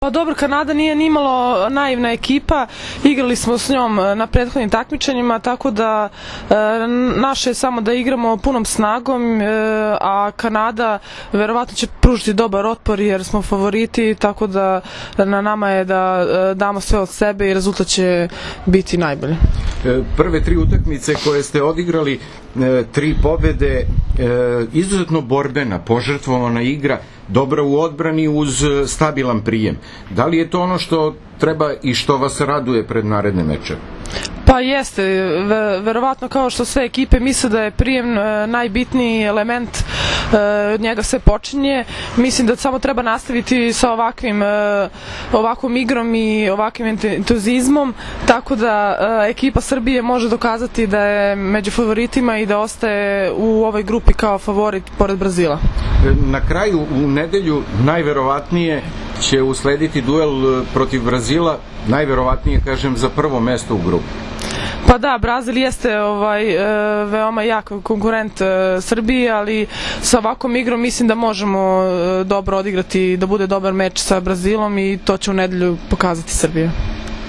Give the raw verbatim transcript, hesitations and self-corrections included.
Pa dobro, Kanada nije nimalo naivna ekipa, igrali smo s njom na prethodnim takmičenjima, tako da e, naše je samo da igramo punom snagom, e, a Kanada verovatno će pružiti dobar otpor jer smo favoriti, tako da na nama je da e, damo sve od sebe i rezultat će biti najbolji. Prve tri utakmice koje ste odigrali, tri pobede, izuzetno borbena, požrtvovana igra, dobra u odbrani uz stabilan prijem. Da li je to ono što treba i što vas raduje pred naredne meče? Pa jeste, verovatno kao što sve ekipe misle da je prijem najbitniji element, od njega sve počinje. Mislim da samo treba nastaviti sa ovakvim ovakvom igrom i ovakvim entuzizmom, tako da ekipa Srbije može dokazati da je među favoritima i da ostaje u ovoj grupi kao favorit pored Brazila. Na kraju, u nedelju, najverovatnije će uslediti duel protiv Brazila, najverovatnije, kažem, za prvo mesto u grupi. Pa da, Brazil jeste ovaj, e, veoma jak konkurent e, Srbiji, ali sa ovakvom igrom mislim da možemo e, dobro odigrati, da bude dobar meč sa Brazilom i to će u nedelju pokazati Srbija.